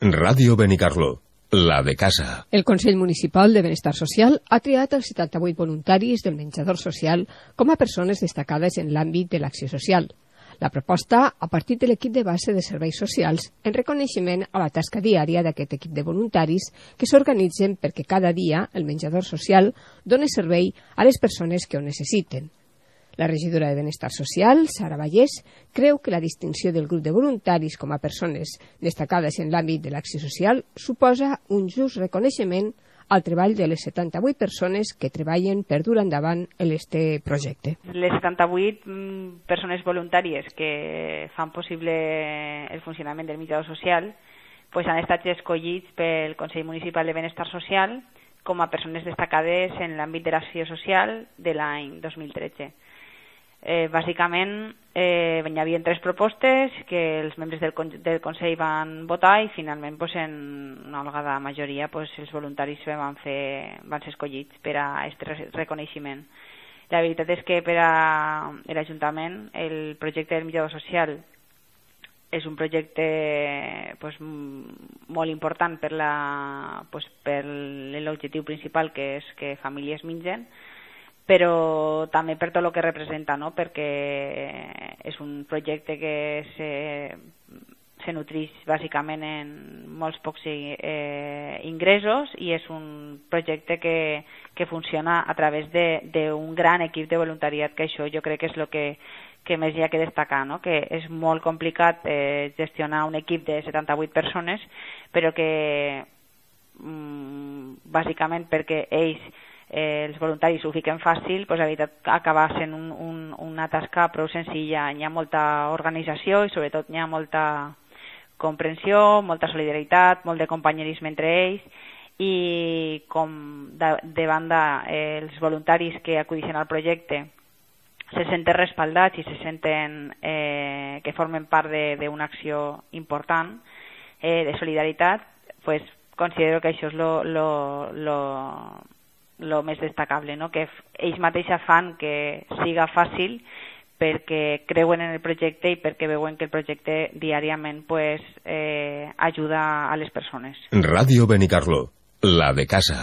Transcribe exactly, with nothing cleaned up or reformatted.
Ràdio Benicarló, la de casa. El Consell Municipal de Benestar Social ha triat els setanta-vuit voluntaris del menjador social com a persones destacades en l'àmbit de l'acció social. La proposta, a partir de l'equip de base de serveis socials, en reconeixement a la tasca diària d'aquest equip de voluntaris que s'organitzen perquè cada dia el menjador social doni servei a les persones que ho necessiten. La regidora de Benestar Social, Sara Vallès, creu que la distinció del grup de voluntaris com a persones destacades en l'àmbit de l'acció social suposa un just reconeixement al treball de les setanta-vuit persones que treballen per dur endavant este projecte. Les setanta-vuit persones voluntàries que fan possible el funcionament del menjador social pues han estat escollits pel Consell Municipal de Benestar Social com a persones destacades en l'àmbit de l'acció social de l'any dos mil tretze. Eh, bàsicament eh, hi havia tres propostes que els membres del, del Consell van votar i finalment pues, en una holgada majoria pues, els voluntaris van, fer, van ser escollits per a aquest reconeixement. La veritat és que per a l'Ajuntament el projecte del menjador social és un projecte pues, molt important per la, pues, per l'objectiu principal que és que famílies mengen, però també per tot el que representa, no? Perquè és un projecte que se, se nutreix bàsicament en molts pocs eh, ingressos i és un projecte que, que funciona a través d'un gran equip de voluntariat, que això jo crec que és el que, que més hi ha que destacar, no? Que és molt complicat eh, gestionar un equip de setanta-vuit persones, però que mm, bàsicament perquè ells Eh, els voluntaris ho fiquen fàcil, doncs, la veritat acaba sent un, un, una tasca prou senzilla. Hi ha molta organització i sobretot hi ha molta comprensió, molta solidaritat, molt de companyerisme entre ells i com de, de banda eh, els voluntaris que acudixen al projecte se senten respaldats i se senten eh, que formen part d'una acció important eh, de solidaritat, pues, considero que això és lo, lo, lo el més destacable, no? Que ells mateixos fan que siga fàcil perquè creuen en el projecte i perquè veuen que el projecte diàriament pues, eh, ajuda a les persones. Ràdio Benicarló, la de casa.